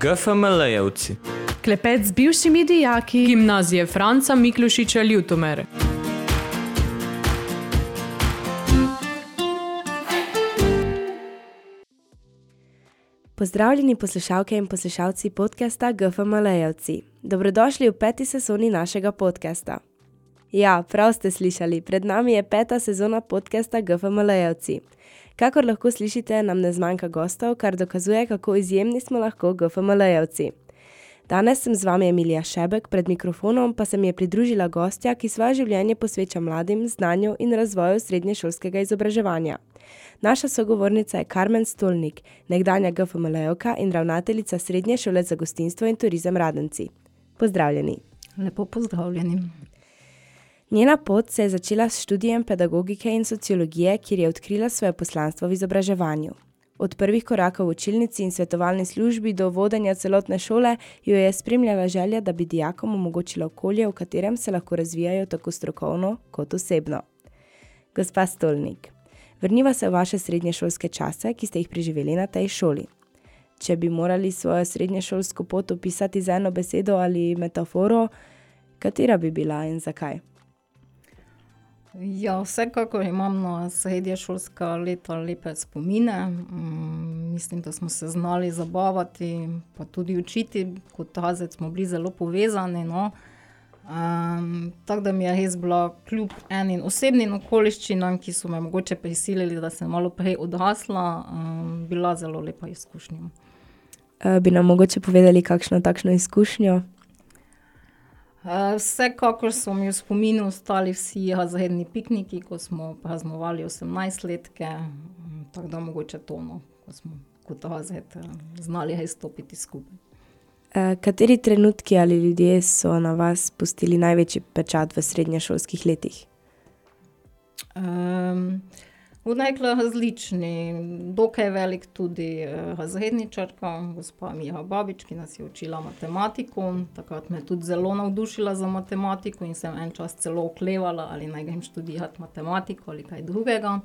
GFML-jevci. Klepet z bivšimi dijaki Gimnazije Franca Miklošiča Ljutomer. Pozdravljeni poslušalke in poslušalci podcasta GFML-jevci. Dobrodošli v 5. sezoni našega podcasta. Ja, prav ste slišali, pred nami je 5. sezona podcasta GFML-jevci. Kakor lahko slišite, nam ne zmanjka gostov, kar dokazuje, kako izjemni smo lahko GFML-jevci. Danes sem z vami Emilija Šebek, pred mikrofonom pa se mi je pridružila gostja, ki svoje življenje posveča mladim, znanju in razvoju srednješolskega izobraževanja. Naša sogovornica je Karmen Stolnik, nekdanja GFML-jevka in ravnateljica Srednje šole za gostinstvo in turizem Radenci. Pozdravljeni. Lepo pozdravljeni. Njena pot se je začela s študijem pedagogike in sociologije, kjer je odkrila svoje poslanstvo v izobraževanju. Od prvih korakov v učilnici in svetovalni službi do vodenja celotne šole jo je spremljala želja, da bi dijakom omogočila okolje, v katerem se lahko razvijajo tako strokovno kot osebno. Gospa Stolnik, vrniva se v vaše srednješolske čase, ki ste jih preživeli na tej šoli. Če bi morali svojo srednješolsko pot opisati z eno besedo ali metaforo, katera bi bila in zakaj? Ja, vsekakor imam na srednješolska leta lepe spomine. Mislim, da smo se znali zabavati, pa tudi učiti. Kot razred smo bili zelo povezani. No. Tako da mi je res bila kljub enim osebnim okoliščinam, ki so me mogoče prisilili, da sem malo prej odrasla, bila zelo lepa izkušnja. Bi nam mogoče povedali kakšno takšno izkušnjo? Vsekakor so mi v spominu ostali vsi razredni pikniki, ko smo praznovali 18-letke, tako da mogoče to, no, ko smo kot razred znali res stopiti skupaj. Kateri trenutki ali ljudje so na vas pustili največji pečat v srednješolskih letih? Odnekla različni, dokaj velik tudi razredničarka, gospa Mira Babič, ki nas je učila matematiko. Takrat me tudi zelo navdušila za matematiko in sem en čas celo oklevala, ali naj grem študirati matematiko ali kaj drugega.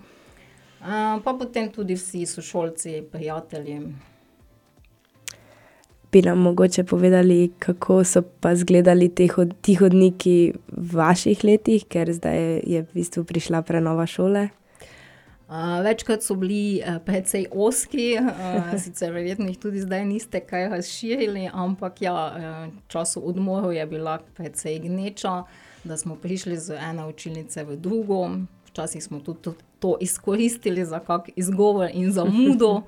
Pa potem tudi vsi sošolci, prijatelji. Bi nam mogoče povedali, kako so pa izgledali ti hodniki v vaših letih, ker zdaj je v bistvu prišla prenova šole? Večkrat so bili precej ozki, sicer verjetno jih tudi zdaj niste kaj razširili, ampak ja, času odmorov je bila precej gneča, da smo prišli z ene učilnice v drugo. Včasih smo tudi to izkoristili za kak izgovor in zamudo.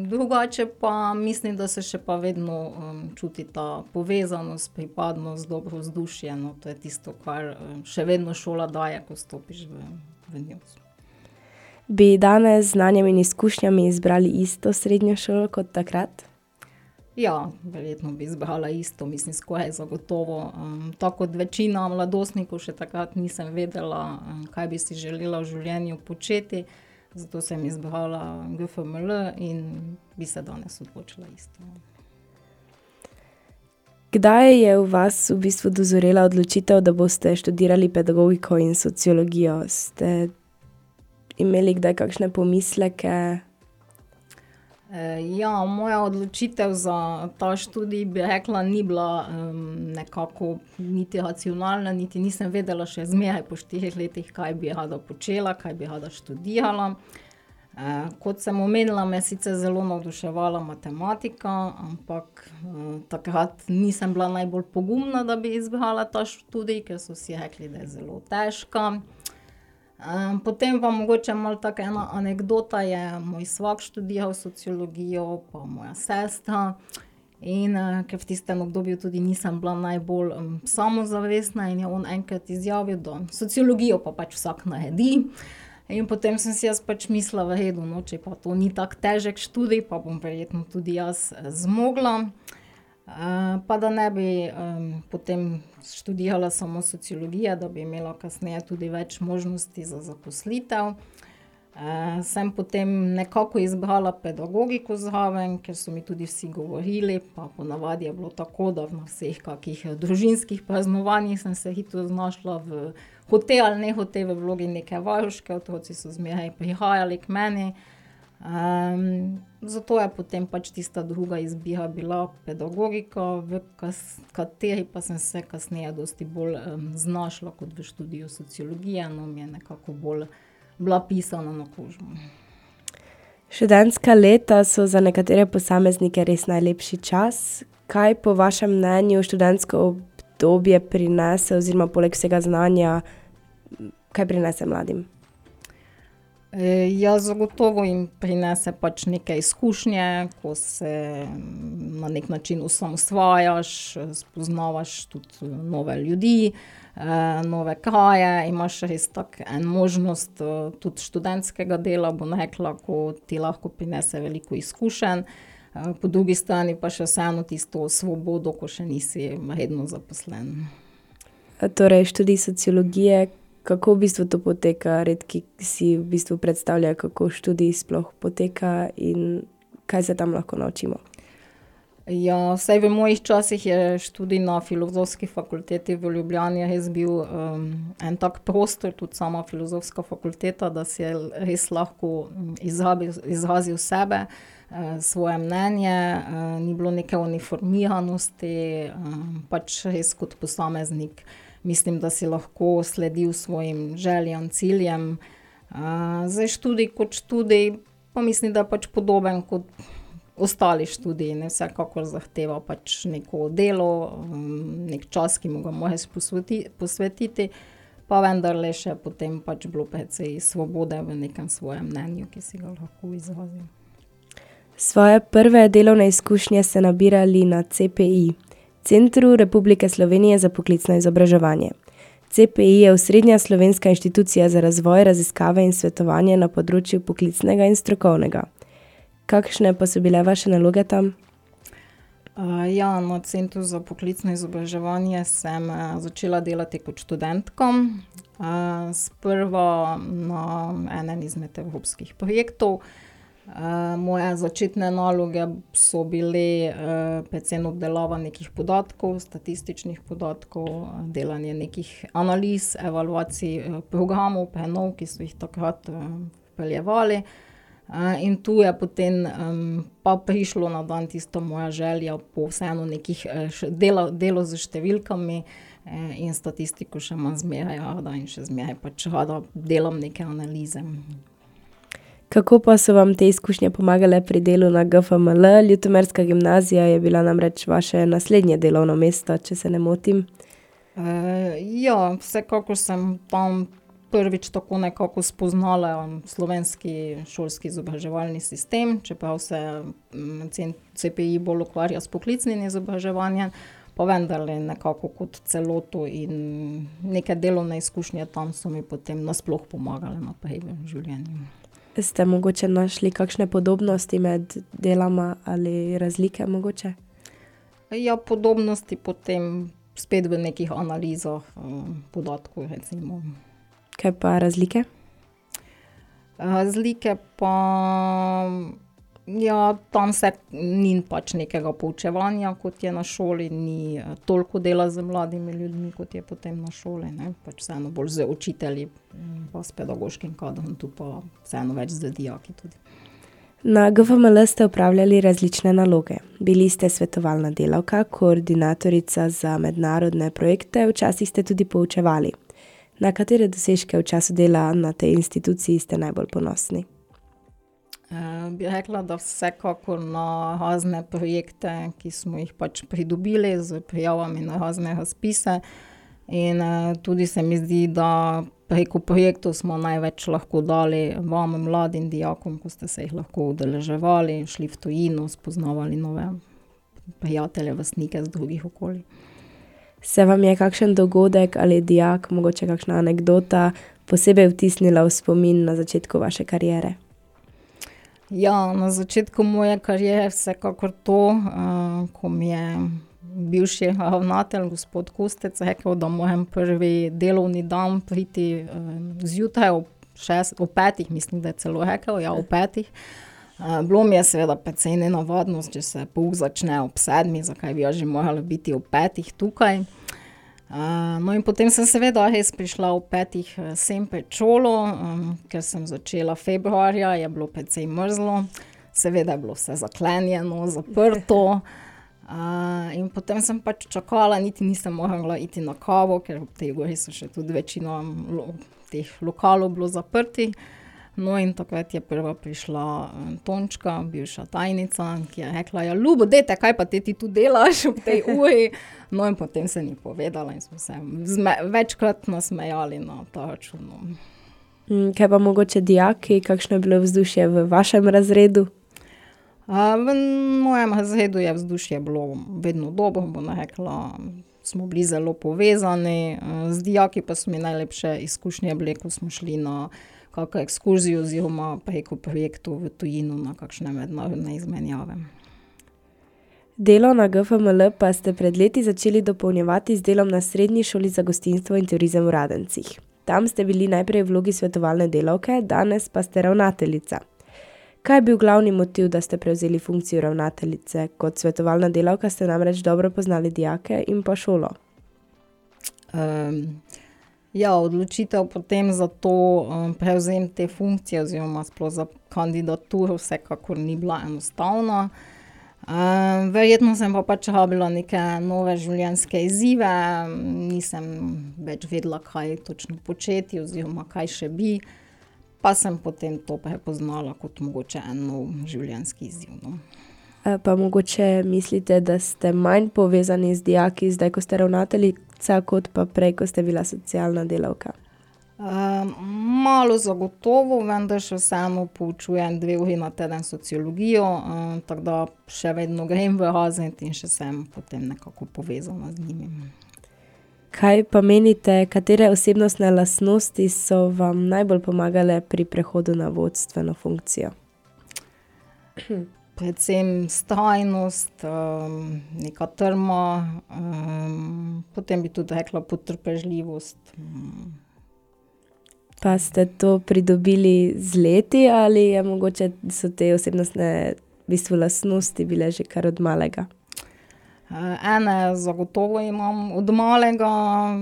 Drugače pa mislim, da se še pa vedno čuti ta povezanost, pripadnost, dobro vzdušje. No, to je tisto, kar še vedno šola daje, ko stopiš v njo. Bi danes z znanjem in izkušnjami izbrali isto srednjo šolo kot takrat? Ja, verjetno bi izbrala isto, mislim, skoraj zagotovo. Tako kot večina mladostnikov še takrat nisem vedela, kaj bi si želela v življenju početi. Zato sem izbrala GFML in bi se danes odločila isto. Kdaj je v vas v bistvu dozorela odločitev, da boste študirali pedagogiko in sociologijo? Ste imeli kdaj kakšne pomisleke? Ja, moja odločitev za ta študij bi rekla ni bila nekako niti racionalna, niti nisem vedela še zmeraj po 4 letih, kaj bi rada počela, kaj bi rada študirala. Kot sem omenila, me sicer zelo navduševala matematika, ampak takrat nisem bila najbolj pogumna, da bi izbrala ta študij, ker so si rekli, da je zelo težka. Potem pa mogoče malo taka ena anekdota je, moj svak študiral sociologijo, pa moja sestra. In ker v tistem obdobju tudi nisem bila najbolj samozavestna in je on enkrat izjavil, da sociologijo pa pač vsak naredi. In potem sem si jaz pač mislila, v redu, no, če pa to ni tak težek študij, pa bom verjetno tudi jaz zmogla. Pa da ne bi potem študirala samo sociologija, da bi imela kasneje tudi več možnosti za zaposlitev. Sem potem nekako izbrala pedagogiko zraven, ker so mi tudi vsi govorili, pa ponavadi je bilo tako, da na vseh kakih družinskih praznovanjih sem se hitro znašla v hote ali ne hote v vlogi neke varuške, otroci so zmeraj prihajali k meni. Zato je potem pač tista druga izbira bila pedagogika, v kateri pa sem se kasneje dosti bolj znašla kot v študiju sociologije, no mi je nekako bolj bila pisana na kožo. Študentska leta so za nekatere posameznike res najlepši čas. Kaj po vašem mnenju študentsko obdobje prinese oziroma poleg vsega znanja, kaj prinese mladim? Ja, zagotovo jim prinese pač neke izkušnje, ko se na nek način osamosvajaš, spoznavaš tudi nove ljudi, nove kraje, imaš res tako en možnost tudi študentskega dela, bom rekla, ko ti lahko prinese veliko izkušenj. Po drugi strani pa še vseeno tisto svobodo, ko še nisi redno zaposlen. Torej, študij sociologije, kako v bistvu to poteka? Redki si v bistvu predstavljajo, kako študij sploh poteka in kaj se tam lahko naučimo? Ja, vsaj v mojih časih je študij na Filozofski fakulteti v Ljubljani res bil en tak prostor, tudi sama Filozofska fakulteta, da si res lahko izrazil sebe, svoje mnenje, ni bilo neke uniformiranosti, pač res kot posameznik. Mislim, da si lahko sledil svojim željam, ciljem. Zdaj študij kot študij, pa mislim, da je pač podoben kot ostali študiji. Ne, vsekakor zahteva pač neko delo, nek čas, ki mu ga moraš posvetiti, pa vendarle še potem pač bilo precej svobode v nekem svojem mnenju, ki si ga lahko izrazil. Svoje prve delovne izkušnje ste nabirali na CPI, Centru Republike Slovenije za poklicno izobraževanje. CPI je osrednja slovenska inštitucija za razvoj, raziskave in svetovanje na področju poklicnega in strokovnega. Kakšne pa so bile vaše naloge tam? Ja, na Centru za poklicno izobraževanje sem začela delati kot študentka. Sprva na enem izmed evropskih projektov. Moje začetne naloge so bile predvsem obdelava nekih podatkov, statističnih podatkov, delanje nekih analiz, evaluacij programov, prenov, ki so jih takrat vpeljevali. In tu je potem pa prišlo na dan tisto moja želja po vseeno nekih delo z številkami in statistiko še imam zmeraj rada in še zmeraj pač rada delam neke analize. Kako pa so vam te izkušnje pomagale pri delu na GFML? Ljutomerska gimnazija je bila namreč vaše naslednje delovno mesto, če se ne motim. Ja, vsekakor sem tam prvič tako nekako spoznala slovenski šolski izobraževalni sistem, čeprav se CPI bolj ukvarja s poklicnim izobraževanjem, pa vendarle nekako kot celoto in neke delovne izkušnje tam so mi potem nasploh pomagale naprej v življenju. Ste mogoče našli kakšne podobnosti med delama ali razlike mogoče? Ja, podobnosti potem spet v nekih analizah podatkov, recimo. Kaj pa razlike? Razlike pa, ja, tam se ni pač nekega poučevanja, kot je na šoli, ni toliko dela z mladimi ljudmi, kot je potem na šoli, ne, pač vseeno bolj z učitelji, pa s pedagoškim kadrom, tu pa vseeno več z dijaki tudi. Na GFML ste opravljali različne naloge. Bili ste svetovalna delavka, koordinatorica za mednarodne projekte, včasih ste tudi poučevali. Na katere dosežke v času dela na tej instituciji ste najbolj ponosni? Bi rekla, da vsekakor na razne projekte, ki smo jih pač pridobili z prijavami na razne razpise. In tudi se mi zdi, da preko projektov smo največ lahko dali vam, mladim dijakom, ko ste se jih lahko udeleževali, šli v tujino, spoznavali nove prijatelje, vrstnike z drugih okolij. Se vam je kakšen dogodek ali dijak, mogoče kakšna anekdota, posebej vtisnila v spomin na začetku vaše kariere? Ja, na začetku moje kariere vsekakor to, ko mi je bivši ravnatelj, gospod Kustec, rekel, da moram prvi delovni dan priti zjutraj ob 5, mislim, da je celo rekel, ja, ob 5. Bilo mi je seveda precej nenavadno, če se pouk začne ob 7, zakaj bi jaz že morala biti ob 5 tukaj. No in potem sem seveda res prišla v 5 sem pred šolo, ker sem začela februarja, je bilo precej mrzlo, seveda je bilo vse zaklenjeno, zaprto. In potem sem pač čakala, niti nisem mogla iti na kavo, ker v tej gori so še tudi večino teh lokalov bilo zaprti. No in takrat je prva prišla Tončka, bivša tajnica, ki je rekla, ja, Ljubo, dajte, kaj pa ti tu delaš ob tej uri? No in potem se ni povedala in smo se večkrat nasmejali na ta račun. Kaj pa mogoče dijaki, kakšno je bilo vzdušje v vašem razredu? V mojem razredu je vzdušje bilo vedno dobro, bom rekla, smo bili zelo povezani, z dijaki pa so mi najlepše izkušnje bile, ko smo šli na kakšno ekskurzijo oziroma preko projektov v tujino na kakšne mednarodne izmenjave. Delo na GFML pa ste pred leti začeli dopolnjevati z delom na Srednji šoli za gostinstvo in turizem v Radencih. Tam ste bili najprej v vlogi svetovalne delavke, danes pa ste ravnateljica. Kaj je bil glavni motiv, da ste prevzeli funkcijo ravnateljice? Kot svetovalna delavka ste namreč dobro poznali dijake in pa šolo. Odločitev potem za to prevzem te funkcije oziroma sploh za kandidaturo vsekakor ni bila enostavna. Verjetno sem pa pač rabila neke nove življenjske izzive, nisem več vedela, kaj točno početi oziroma kaj še bi, pa sem potem to prepoznala kot mogoče en nov življenjski izziv. No. Pa mogoče mislite, da ste manj povezani z dijaki zdaj, ko ste ravnateljica, kot pa prej, ko ste bila socialna delavka? Malo zagotovo, vendar še vseeno poučujem 2 uri na teden sociologijo, tako da še vedno grem v razred in še sem potem nekako povezana z njimi. Kaj pa menite, katere osebnostne lastnosti so vam najbolj pomagale pri prehodu na vodstveno funkcijo? Predvsem vztrajnost, neka trma, potem bi tudi rekla potrpežljivost. Pa ste to pridobili z leti ali je mogoče so te osebnostne lastnosti bile že kar od malega? Ene zagotovo imam od malega,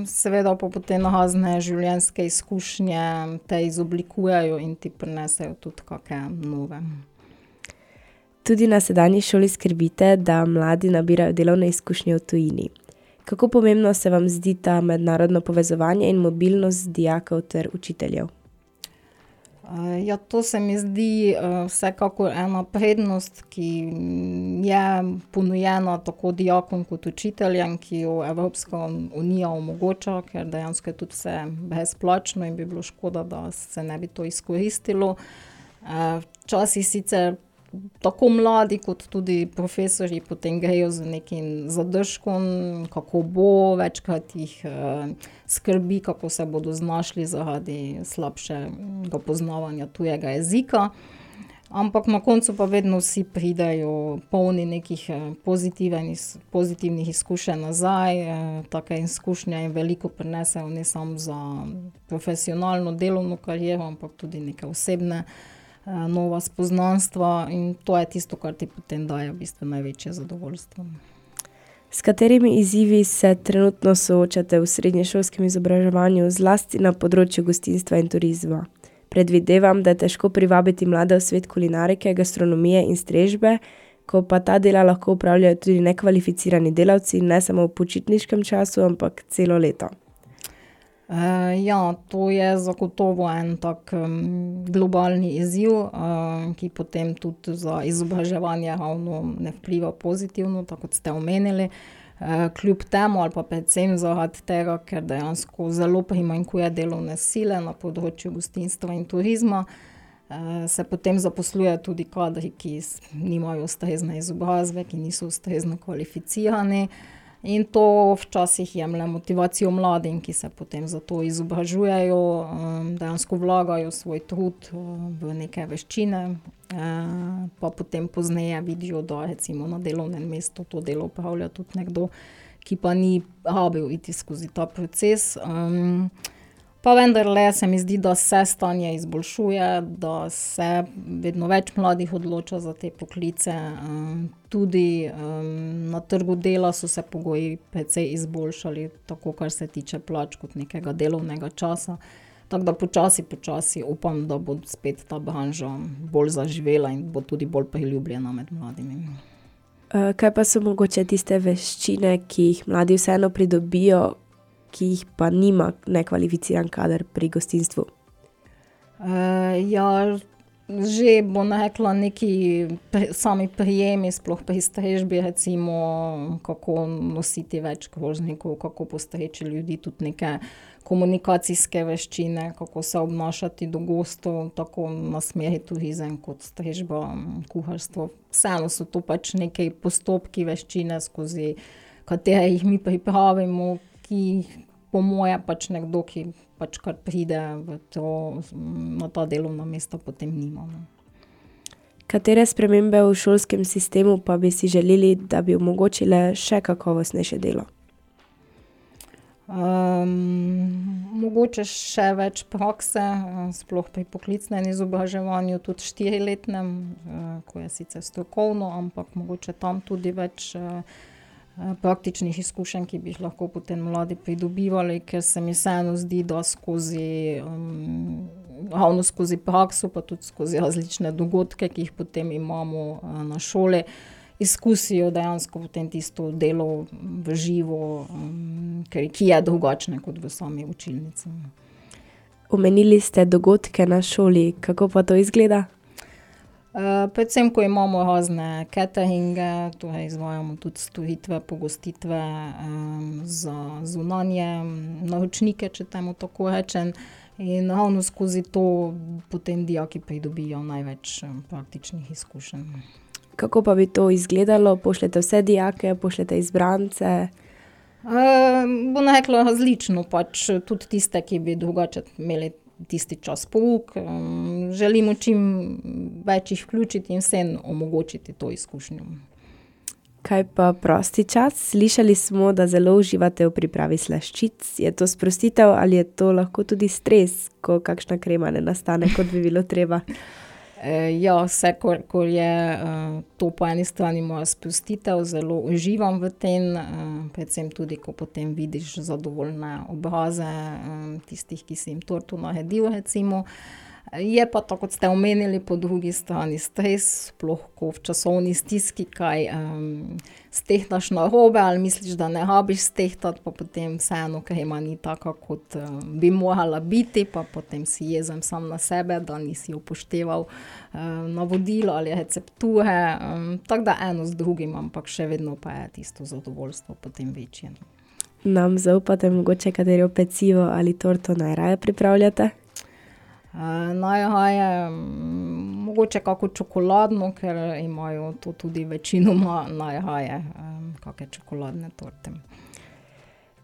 seveda pa potem razne življenjske izkušnje te izoblikujejo in ti prinesejo tudi kakšne nove. Tudi na sedanji šoli skrbite, da mladi nabirajo delovne izkušnje v tujini. Kako pomembno se vam zdi ta mednarodno povezovanje in mobilnost dijakov ter učiteljev? To se mi zdi vsekakor ena prednost, ki je ponujena tako dijakom kot učiteljem, ki jo Evropska unija omogoča, ker dejansko je tudi vse brezplačno in bi bilo škoda, da se ne bi to izkoristilo. Včasih sicer tako mladi kot tudi profesorji potem grejo z nekim zadržkom, kako bo, večkrat jih skrbi, kako se bodo znašli zaradi slabšega poznavanja tujega jezika. Ampak na koncu pa vedno vsi pridejo polni nekih pozitivnih izkušenj nazaj. Take izkušnje jim veliko prinesejo ne samo za profesionalno delovno kariero, ampak tudi neke osebne nova spoznanstva in to je tisto, kar ti potem daje v bistvu največje zadovoljstvo. S katerimi izzivi se trenutno soočate v srednješolskem izobraževanju, zlasti na področju gostinstva in turizma? Predvidevam, da je težko privabiti mlade v svet kulinarike, gastronomije in strežbe, ko pa ta dela lahko opravljajo tudi nekvalificirani delavci, ne samo v počitniškem času, ampak celo leto. To je zagotovo en tak globalni izziv, ki potem tudi za izobraževanje ravno ne vpliva pozitivno, tako kot ste omenili. Kljub temu ali pa predvsem zaradi tega, ker dejansko zelo primanjkuje delovne sile na področju gostinstva in turizma, se potem zaposlujejo tudi kadri, ki nimajo ustrezne izobrazbe, ki niso ustrezno kvalificirani. In to včasih jemlje motivacijo mladim, ki se potem za to izobražujejo, dejansko vlagajo svoj trud v neke veščine, pa potem pozneje vidijo, da recimo na delovnem mestu to delo opravlja tudi nekdo, ki pa ni rabil iti skozi ta proces. Pa vendarle se mi zdi, da se stanje izboljšuje, da se vedno več mladih odloča za te poklice. Tudi na trgu dela so se pogoji precej izboljšali, tako kar se tiče plač kot nekega delovnega časa. Tako da počasi upam, da bo spet ta branža bolj zaživela in bo tudi bolj priljubljena med mladimi. Kaj pa so mogoče tiste veščine, ki jih mladi vseeno pridobijo, ki jih pa nima nekvalificiran kader pri gostinstvu? Že bom rekla neki sami prijemi, sploh pri strežbi, recimo, kako nositi več krožnikov, kako postreči ljudi, tudi neke komunikacijske veščine, kako se obnašati do gostov, tako na smeri turizem kot strežba, kuharstvo. Vseeno so to pač neki postopki, veščine, skozi katere jih mi pripravimo, ki po moje pač nekdo, ki pač kar pride na ta delovna mesta, potem nima. Katere spremembe v šolskem sistemu pa bi si želeli, da bi omogočile še kakovostnejše delo? Mogoče še več prakse, sploh pri poklicnem izobraževanju, tudi 4-letnem, ko je sicer strokovno, ampak mogoče tam tudi več praktičnih izkušenj, ki bi jih lahko potem mladi pridobivali, ker se mi vseeno zdi, da ravno skozi prakso, pa tudi skozi različne dogodke, ki jih potem imamo na šoli, izkusijo dejansko potem tisto delo v živo, ki je drugačne kot v sami učilnici. Omenili ste dogodke na šoli, kako pa to izgleda? Predvsem, ko imamo razne cateringe, torej izvajamo tudi storitve, pogostitve za zunanje naročnike, če temu tako rečem. In ravno skozi to potem dijaki pridobijo največ praktičnih izkušenj. Kako pa bi to izgledalo? Pošljete vse dijake, pošljete izbrance? Bom rekla različno, pač tudi tiste, ki bi drugače imeli tisti čas pouk. Želimo čim več jih vključiti in vsem omogočiti to izkušnjo. Kaj pa prosti čas? Slišali smo, da zelo uživate v pripravi slaščic. Je to sprostitev ali je to lahko tudi stres, ko kakšna krema ne nastane, kot bi bilo treba? Vse, ko je to po eni strani moja sprostitev, zelo uživam v tem, predvsem tudi, ko potem vidiš zadovoljne obraze tistih, ki si jim torto naredil, recimo. Je pa to, kot ste omenili, po drugi strani stres, sploh ko v časovni stiski kaj stehtaš narobe ali misliš, da ne rabiš stehtati, pa potem vseeno krema ni taka, kot bi morala biti, pa potem si jezen sam na sebe, da nisi upošteval navodil ali recepture. Tako da eno z drugim, ampak še vedno pa je tisto zadovoljstvo potem večje. Nam zaupate mogoče katero pecivo ali torto najraje pripravljate? Najraje mogoče kako čokoladno, ker imajo to tudi večinoma najraje kakšne čokoladne torte.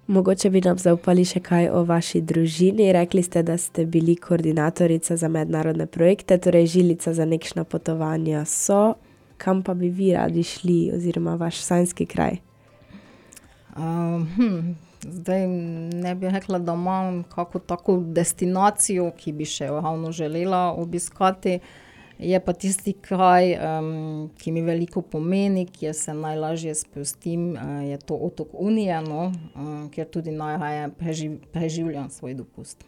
Mogoče bi nam zaupali še kaj o vaši družini. Rekli ste, da ste bili koordinatorica za mednarodne projekte, torej žilica za nekšna potovanja so. Kam pa bi vi radi šli oziroma vaš sanjski kraj? Zdaj ne bi rekla, da imam kako tako destinacijo, ki bi še ravno želela obiskati. Je pa tisti kraj, ki mi veliko pomeni, kjer se najlažje sprostim, je to otok Unije, kjer tudi najraje preživljam svoj dopust.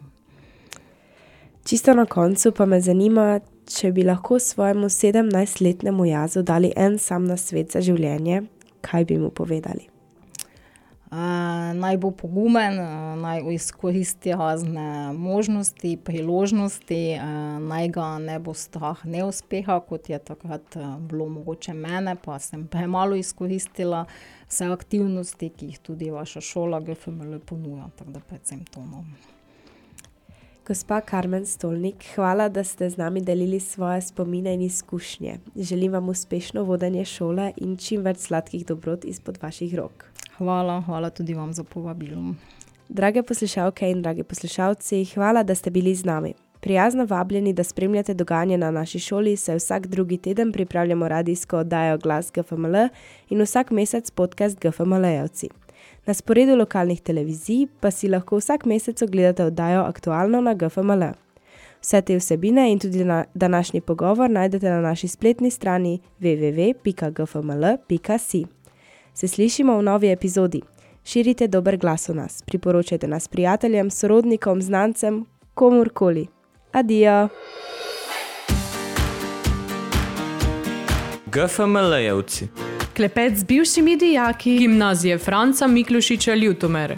Čisto na koncu pa me zanima, če bi lahko svojemu 17-letnemu Jazu dali en sam nasvet za življenje, kaj bi mu povedali? Naj bo pogumen, naj izkoristi razne možnosti, priložnosti, naj ga ne bo strah neuspeha, kot je takrat bilo mogoče mene, pa sem premalo izkoristila vse aktivnosti, ki jih tudi vaša šola GFML ponuja, tako da predvsem to. Gospa Karmen Stolnik, hvala, da ste z nami delili svoje spomine in izkušnje. Želim vam uspešno vodenje šole in čim več sladkih dobrot izpod vaših rok. Hvala tudi vam za povabilo. Drage poslušalke in dragi poslušalci, hvala, da ste bili z nami. Prijazno vabljeni, da spremljate dogajanje na naši šoli, saj vsak drugi teden pripravljamo radijsko oddajo Glas GFML in vsak mesec podcast GFML-jevci. Na sporedu lokalnih televizij pa si lahko vsak mesec ogledate oddajo Aktualno na GFML. Vse te vsebine in tudi današnji pogovor najdete na naši spletni strani www.gfml.si. Se slišimo v novi epizodi. Širite dober glas o nas, priporočajte nas prijateljem, sorodnikom, znancem, komurkoli. Adijo! GFML-jevci. Klepet z bivšimi dijaki. Gimnazije Franca Miklošiča Ljutomere.